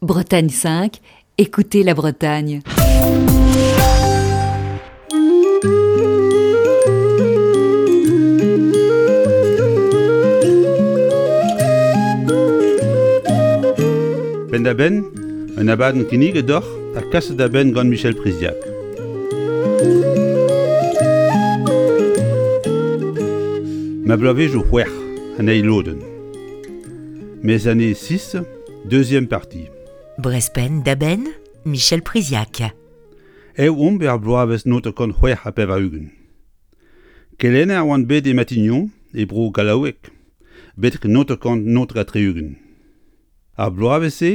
Bretagne 5, écoutez la Bretagne. Penn-da-benn, un abadenn kinniget deoc'h ha kaset da benn gant Michel Priziac. Ma bloavezhioù c'hwec'h an eil lodenn. Mes années 6, deuxième partie. Brezpenn da benn, Michel Priziac. Ev omp er bloavezh 1986. Kelenner oan bet e Matignon, e bro Gallaoueg, betek 1969. Ar bloavezh-se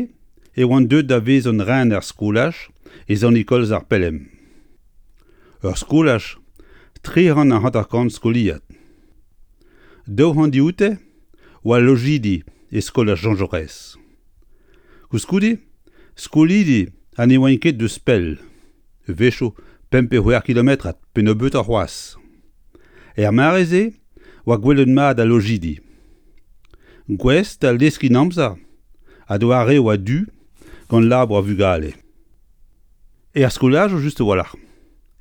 e oan deuet da vezañ rener skolaj e Sant-Nikolaz-ar-Pelem. Ur skolaj 350 skoliad. 200 dioute oa lojidi e skolaj Jean Jaurès. Koulskoude, skolidi ha ne oaint ket deus pell, a-wechoù pemp pe c'hwec'h kilometrad pe nebeutoc'h c'hoazh. Er mare-se oa gwelet mat al lojidi. Gouest da leskiñ amzer ha doareoù a-du gant labour ar vugale. Er skolajoù just a-walc'h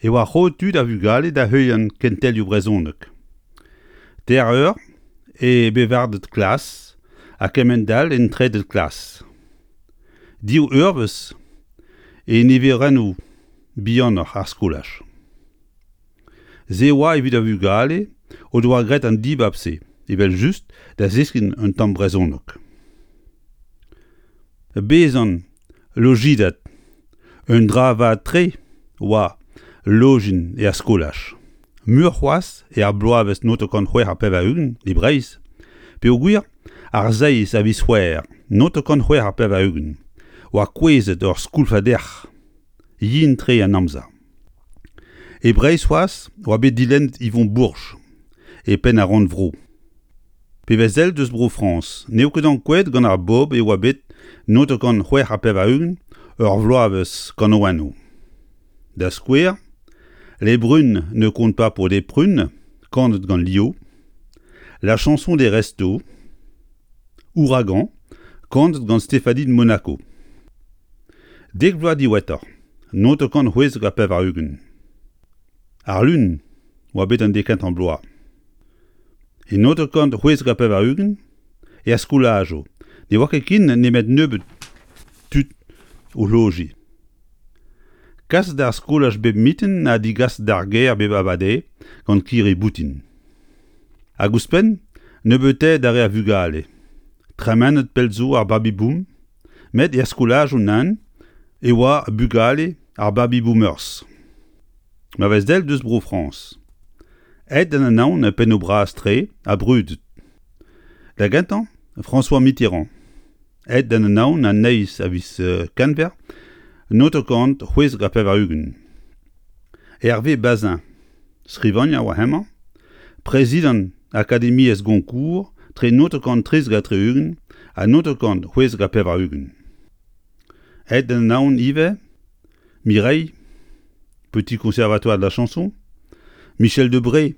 e oa roet tu d'ar vugale da heuliañ kentelioù brezhoneg. Teir eur e bevarded klas ha kement-all en treded klas. Div eurvezh e niverennoù bihanoc'h ar skolaj. Se oa evit ar vugale o doa graet an dibab-se evel-just da zeskiñ un tamm brezhoneg. Bezañ lojidad un dra vat-tre oa lojin er skolaj. Muioc'h c'hoazh er bloavezh 1986 e Breizh peogwir ar seizh a viz C'hwevrer 1986 oa kouezhet ur skoulfad erc'h yen-tre an amzer. E Breizh c'hoazh oa bet dilennet Yvon Bourges e penn ar rannvro. Pe vez sell deus Bro-Frañs n'eo ket ankouaet gant ar bobl e oa bet 1986 ur vloavezh kanaouennoù. Da skouer, Les brunes ne comptent pas pour des prunes, kanet gant Lio, La chanson des restos, Ouragan, kanet gant Stéphanie de Monaco. Dek vloaz diwezhatoc'h, 1996. Ar Lun oa bet an dek kentañ bloaz. E 1996, er skolajoù, ne oa ket ken nemet nebeut tud o lojiñ. Kas d'ar skolaj bep mintin ha digas d'ar gêr bep abardaez gant kirri-boutin. Hag ouzhpenn, nebeutaet ar re a vugale. Tremenet pell zo ar baby-boom, met er skolajoù nann e oa bugale ar baby-boomers. Ma vez del deus Bro-Frañs. Aet d'an anaon pennoù bras-tre ha brudet. Da gentañ, François Mitterrand. Aet d'an anaon an eizh a viz Kenver 1996. Hervé Bazin, skrivagner oa hemañ, prezidant Akademiezh Goncourt tre 1973 ha 1986. Aet d'an anaon ivez Mireille, Petit Conservatoire de la Chanson, Michel Debré,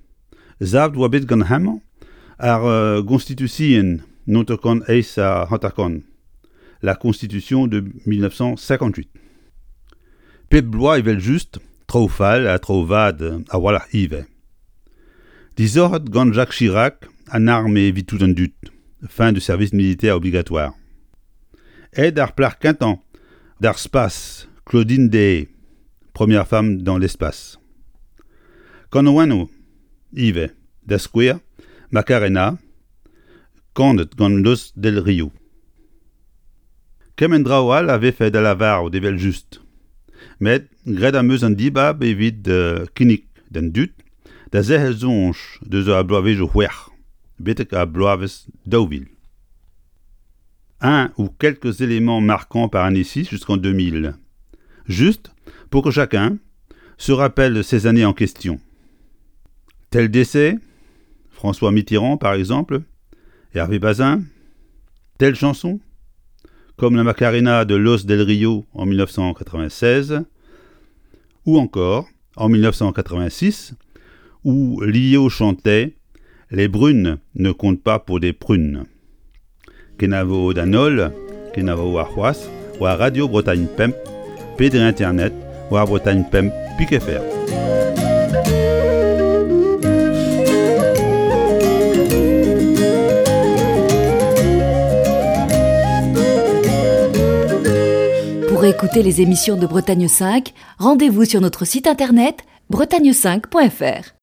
savet oa bet gant hemañ ar Gonstitution 1958, la Constitution de 1958. Pep bloaz evel-just, traoù fall ha traoù vat a-walc'h ivez. Disoc'het gant Jacques Chirac an arme evit tout an dud, fin du service militaire obligatoire. Aet ar plac'h kentañ d'ar spas Claudine Deshaies, première femme dans l'espace. Kanaouennoù ivez, da skouer Macarena, kanet gant Los Del Rio. Kement draoù all a vefe da lavarout evel-just, met graet am eus an dibab evit kinnig d'an dud da zerc'hel soñj deus ar bloavezhioù c'hwec'h betek ar bloavezh 2000. Un ou quelques éléments marquants par année 6 jusqu'en 2000, juste pour que chacun se rappelle ces années en question. Tel décès, François Mitterrand par exemple, Hervé Bazin, telle chanson, comme la Macarena de Los Del Rio en 1996, ou encore en 1986, où Lio chantait Les brunes ne comptent pas pour des prunes. Kenavo d'an holl, kenavo warc'hoazh, war Radio Bretagne Pemp pe dre internet war Bretagne Pemp pik fr. Pour écouter les émissions de Bretagne 5, rendez-vous sur notre site internet bretagne5.fr.